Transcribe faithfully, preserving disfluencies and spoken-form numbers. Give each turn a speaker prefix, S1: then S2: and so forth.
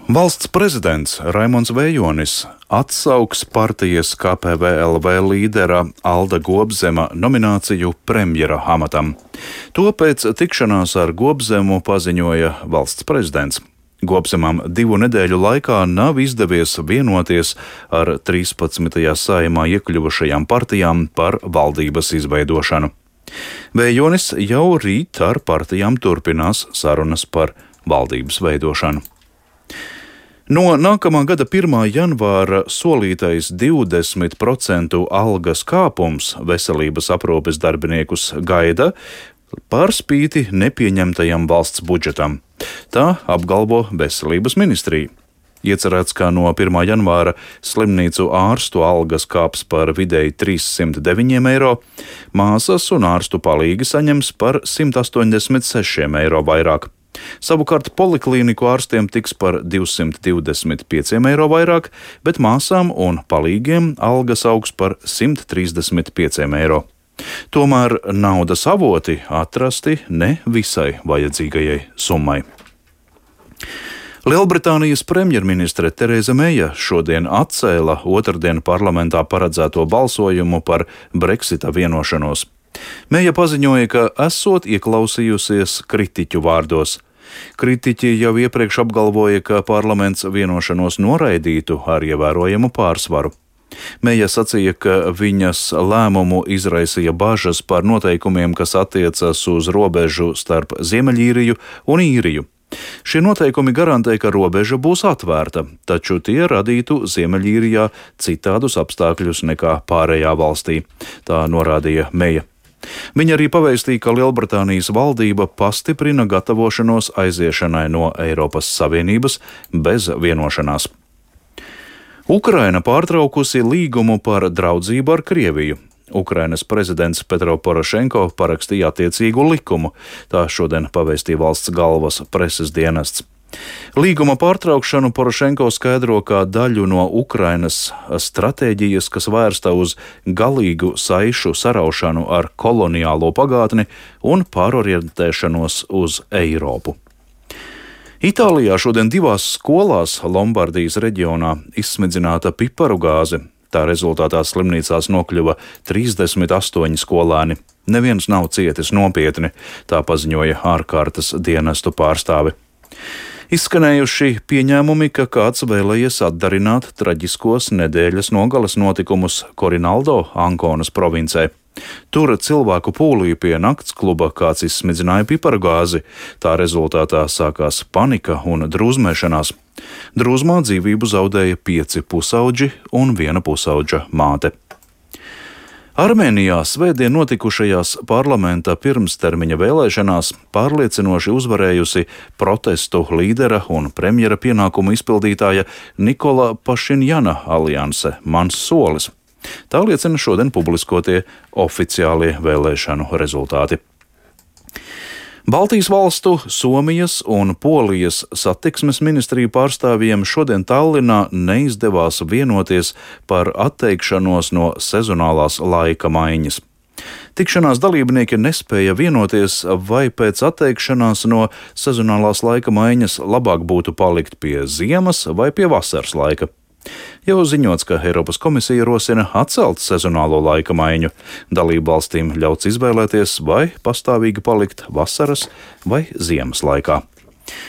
S1: Valsts prezidents Raimonds Vējonis atsauks partijas K P V L V līdera Alda Gobzema nomināciju premjera amatam. To pēc tikšanās ar Gobzemu paziņoja valsts prezidents. Gobzemam divu nedēļu laikā nav izdevies vienoties ar trīspadsmitajā Saeimā iekļuvušajām partijām par valdības izveidošanu. Vējonis jau rīt ar partijām turpinās sarunas par valdības veidošanu. No nākamā gada pirmā janvāra solītais divdesmit procentu algas kāpums veselības aprūpes darbiniekus gaida par spīti nepieņemtajam valsts budžetam. Tā apgalvo Veselības ministrija. Iecerēts, ka no pirmā janvāra slimnīcu ārstu algas kāps par vidēji trīssimt deviņiem eiro, māsas un ārstu palīgi saņems par simt astoņdesmit sešiem eiro vairāk. Savukārt poliklīniku ārstiem tiks par divsimt divdesmit pieciem eiro vairāk, bet māsām un palīgiem algas augs par simt trīsdesmit pieciem eiro. Tomēr naudas avoti atrasti ne visai vajadzīgajai summai. Lielbritānijas premjerministre Tereza Meija šodien atcēla otrdien parlamentā paredzēto balsojumu par Brexita vienošanos. Meija paziņoja, ka esot ieklausījusies kritiķu vārdos. Kritiķi jau iepriekš apgalvoja, ka parlaments vienošanos noraidītu ar ievērojamu pārsvaru. Meija sacīja, ka viņas lēmumu izraisīja bažas par noteikumiem, kas attiecas uz robežu starp Ziemeļīriju un Īriju. Šie noteikumi garantē, ka robeža būs atvērta, taču tie radītu Ziemeļīrijā citādus apstākļus nekā pārējā valstī, tā norādīja Meija. Viņa arī pavēstīja, ka Lielbritānijas valdība pastiprina gatavošanos aiziešanai no Eiropas Savienības bez vienošanās. Ukraina pārtraukusi līgumu par draudzību ar Krieviju. Ukrainas prezidents Petro Porošenko parakstīja attiecīgu likumu, tā šodien pavēstīja valsts galvas preses dienests. Līguma pārtraukšanu Porošenko skaidro kā daļu no Ukrainas stratēģijas, kas vērsta uz galīgu saišu saraušanu ar koloniālo pagātni un pārorientēšanos uz Eiropu. Itālijā šodien divās skolās Lombardijas reģionā izsmidzināta piparu gāze. Tā rezultātā slimnīcās nokļuva trīsdesmit astoņi skolēni. Neviens nav cietis nopietni, tā paziņoja ārkārtas dienestu pārstāvi. Izskanējuši pieņēmumi, ka kāds vēlējies atdarināt traģiskos nedēļas nogales notikumus Korinaldo, Ankonas provincē. Tur cilvēku pūlī pie nakts kluba kāds izsmidzināja pipargāzi. Tā rezultātā sākās panika un drūzmēšanās. Drūzmā dzīvību zaudēja pieci pusauģi un viena pusauģa māte. Armēnijā svētdien notikušajās parlamenta pirmstermiņa vēlēšanās pārliecinoši uzvarējusi protestu līdera un premjera pienākumu izpildītāja Nikola Pašinjana alianse Mans solis. Tā liecina šodien publiskotie oficiālie vēlēšanu rezultāti. Baltijas valstu, Somijas un Polijas satiksmes ministriju pārstāvjiem šodien Tallinā neizdevās vienoties par atteikšanos no sezonālās laika maiņas. Tikšanās dalībnieki nespēja vienoties, vai pēc atteikšanās no sezonālās laika maiņas labāk būtu palikt pie ziemas vai pie vasaras laika. Jau ziņots, ka Eiropas komisija rosina atcelt sezonālo laika maiņu. Dalību valstīm ļauts izvēlēties, vai pastāvīgi palikt vasaras vai ziemas laikā.